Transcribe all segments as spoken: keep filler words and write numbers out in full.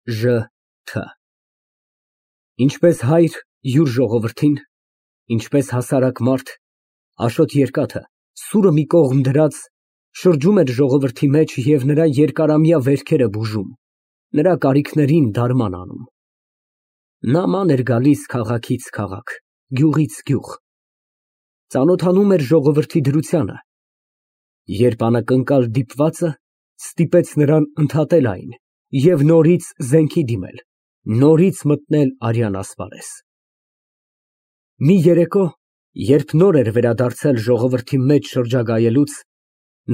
Ժ Թ Ինչպես հայր յուր ժողովրդին, ինչպես հասարակ մարդ, Աշոտ Երկաթը, սուրը մի կողմ դրած, շրջում էր ժողովրդի մեջ և նրա երկարամյա վերքերը բուժում, նրա կարիքներին դարման անում։ Նման էր գալիս քաղաքից քաղաք, գյուղից գյուղ, ծանոթանում էր ժողովրդի դրությանը, երբ անակնկալ դիպվածը ստիպեց նրան ընդհատել այն և նորից զենքի դիմել, նորից մտնել արյան ասպարեզ։ Մի երեկո, երբ նոր էր վերադարձել ժողովրդի մեջ շրջագայելուց,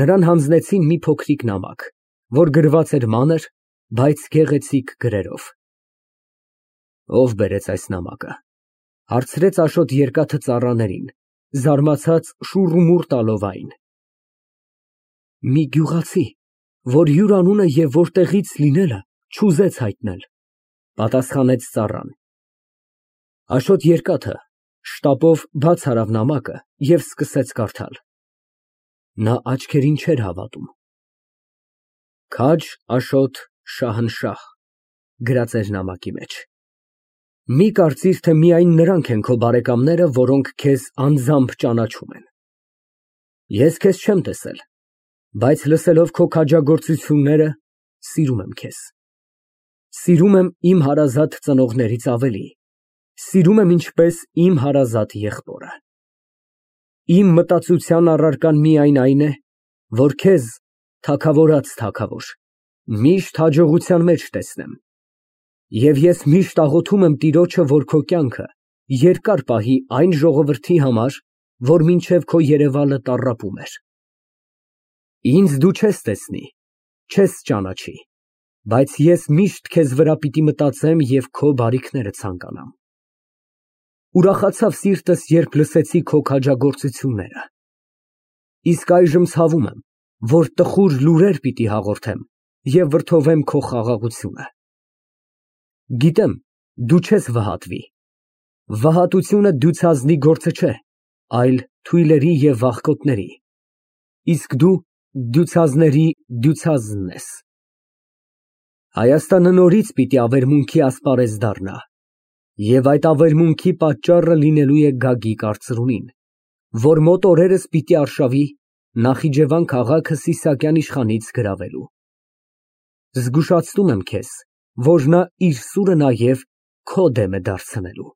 նրան հանձնեցին մի փոքրիկ նամակ, որ գրված էր մանր, բայց գեղեցիկ գրերով։ Ո՞վ բերեց այս նամակը, հարցրեց Աշոտ Երկաթը ծառաներին, զարմացած շուռումուռ տալով այն։ Մի գյուղացի, որ յուր անունը և որտեղից լինելը չուզեց հայտնել, պատասխանեց ծառան։ Աշոտ Երկաթը շտապով բաց արավ նամակը և սկսեց կարդալ։ Նա աչքերին չէր հավատում։ Քաջ Աշոտ Շահնշահ գրած էր նամակի մեջ։ Մի կարծիր, թե միայն նրանք են քո բարեկամները, որոնք քեզ անձամբ ճանաչում են։ Ես քեզ չեմ տեսել, բայց լսելով քո քաջագործությունները, սիրում եմ քեզ։ Սիրում եմ իմ հարազատ ծնողներից ավելի, սիրում եմ ինչպես իմ հարազատ եղբորը։ Իմ մտածության առարկան միայն այն է, որ քեզ, թագավորած թագավոր, միշտ հաջողության մեջ տեսնեմ, և ես միշտ աղոթում եմ Տիրոջը, որ քո կյանքը երկար պահի այն ժողովրդի համար, որ մինչև քո երևալը տառապում էր։ Ինձ դու չես տեսնի, չես ճանաչի, բայց ես միշտ քեզ վրա պիտի մտածեմ և քո բարիքները ցանկանամ։ Ուրախացավ սիրտս, երբ լսեցի քո քաջագործությունները, իսկ այժմ ցավում եմ, որ տխուր լուրեր պիտի հաղորդեմ և վրդովեմ քո խաղաղությունը։ Գիտեմ, դու չես վհատվի։ Վհատությունը դյուցազնի գործը չէ, այլ թույլերի և վախկոտների, իսկ դու դյուցազների դյուցազնն ես։ Հայաստանը նորից պիտի ավերմունքի ասպարեզ դառնա, և այդ ավերմունքի պատճառը լինելու է Գագիկ արծրունին, որ մոտ օրերս պիտի արշավի Նախիջևան քաղաքը Սիսակյան իշխանից գրավելու։ Զգուշացնում եմ քեզ, որ նա իր սուրը նաև քո դեմ է դարձնելու։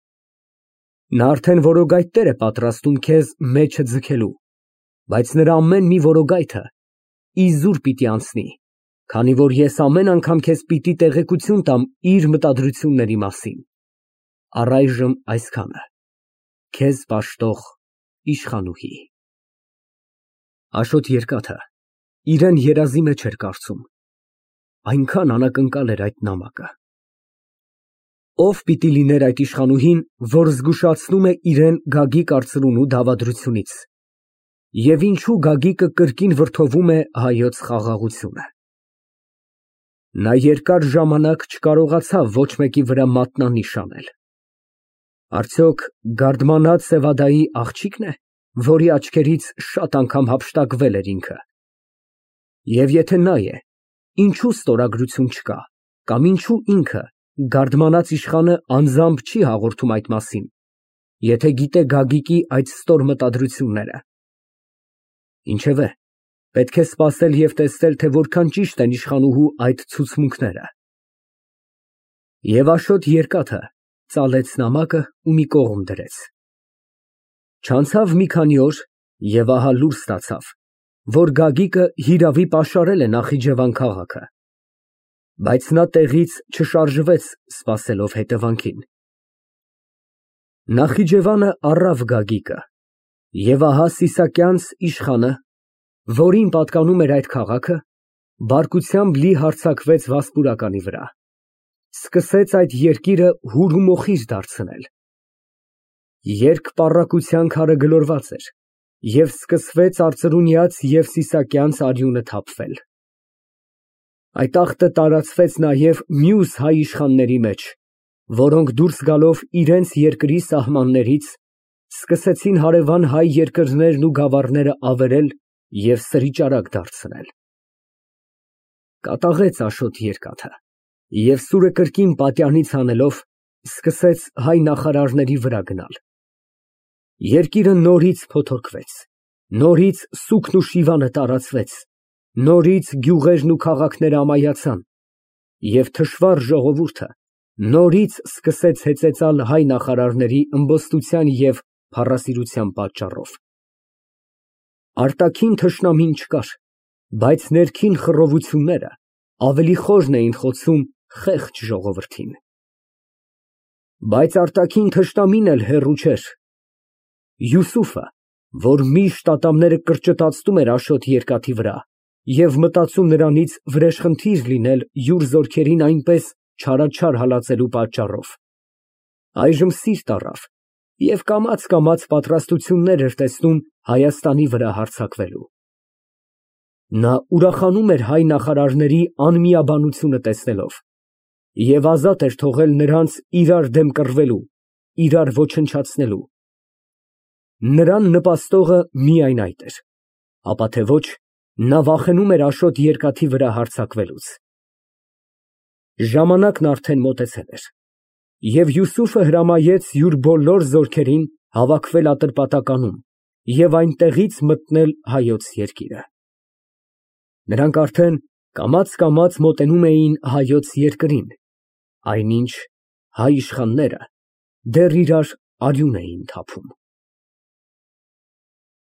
Նա արդեն որոգայթներ է պատրաստում քեզ մեջը ձգելու, բայց նրա ամեն մի որոգայթը իզուր պիտի անցնի, քանի որ ես ամեն անգամ քեզ պիտի տեղեկություն տամ իր մտադրությունների մասին։ Առայժմ այսքանը։ Քեզ պաշտող Իշխանուհի։ Աշոտ Երկաթը իրան երազի մեջ էր կարծում, այնքան անակնկալ էր այդ նամակը։ Ո՞վ պիտի լիներ այդ իշխանուհին, որ զգուշացնում է իրան Գագիկ արծրունու դավադրությունից, և ինչու Գագիկը կրկին վրդովում է հայոց խաղաղությունը։ Նա երկար ժամանակ չկարողացավ ոչ մեկի վրա մատնանիշ անել։ Արդյոք գարդմանած Սևադայի աղջի՞կն է, որի աչքերից շատ անգամ հափշտակվել էր ինքը։ Եվ եթե նա է, ինչու ստորագրություն չկա, կամ ինչու ինքը, գարդմանած իշխանը անձամբ չի հաղորդում այդ մասին, եթե գիտե Գագիկի այդ ստոր մտադրությունները։ Ինչևէ, պետք է սպասել և տեսնել, թե որքան ճիշտ են իշխանուհու այդ ցուցմունքները։ Եվ Աշոտ Երկաթը ծալեց նամակը ու մի կողմ դրեց։ Չանցավ մի քանի օր, և ահա լուր ստացավ, որ Գագիկը հիրավի պաշարել է Նախիջևան քաղաքը, բայց նա տեղից չշարժվեց սպասելով հետևանքին։ Նախիջևանը առավ Գագիկը, և ահա Սիսակյանց իշխանը, որին պատկանում էր այդ քաղաքը, բարկությամբ լի հարձակվեց Վասպուրականի վրա, սկսեց այդ երկիրը հուր ու մոխիր դարձնել։ Երկպառակտության քարը գլորված էր, և սկսվեց արծրունյաց և Սիսակյանց արյունը թափվել։ Այդ աղտը տարածվեց նաև մյուս հայ իշխանների մեջ, որոնք դուրս գալով իրենց երկրի սահմաններից, սկսեցին հարևան հայ երկրներն ու գավառները ավերել և սրիճարակ դարձնել։ Կատաղեց Աշոտ Երկաթը, Եվ սուրը կրկին պատյանից հանելով, սկսեց հայ նախարարների վրա գնալ։ Երկիրը նորից փոթորկվեց, նորից սուգն ու շիվանը տարածվեց, նորից գյուղերն ու քաղաքները ամայացան, և թշվառ ժողովուրդը նորից սկսեց հեծեծալ հայ նախարարների ըմբոստության և փառասիրության պատճառով։ Արտաքին թշնամին չկար, բայց ներքին խռովությունները ավելի խորն էին խոցում խեղճ ժողովրդին։ Բայց արտաքին թշնամին էլ հեռու չէր։ Յուսուֆը, որ միշտ ատամները կրճտացնում էր Աշոտ երկաթի վրա և մտածում նրանից վրեժխնդիր լինել յուր զորքերին այնպես չարաչար հալածելու պատճառով, այժմ սիրտ առավ և կամաց֊կամաց պատրաստություններ էր տեսնում Հայաստանի վրա հարձակվելու։ Նա ուրախանում էր հայ նախարարների անմիաբանությունը տեսնելով և ազատ էր թողել նրանց իրար դեմ կռվելու, իրար ոչնչացնելու։ Նրան նպաստողը միայն այդ էր, ապա թե ոչ, նա վախենում էր Աշոտ երկաթի վրա հարձակվելուց։ Ժամանակն արդեն մոտեցել էր, և Յուսուֆը հրամայեց յուր բոլոր զորքերին հավաքվել Ատրպատականում և այնտեղից մտնել հայոց երկիրը։ Նրանք արդեն կամաց֊կամաց մոտենում էին հայոց երկրին, այնինչ հայ իշխանները դեռ իրար արյուն էին թափում։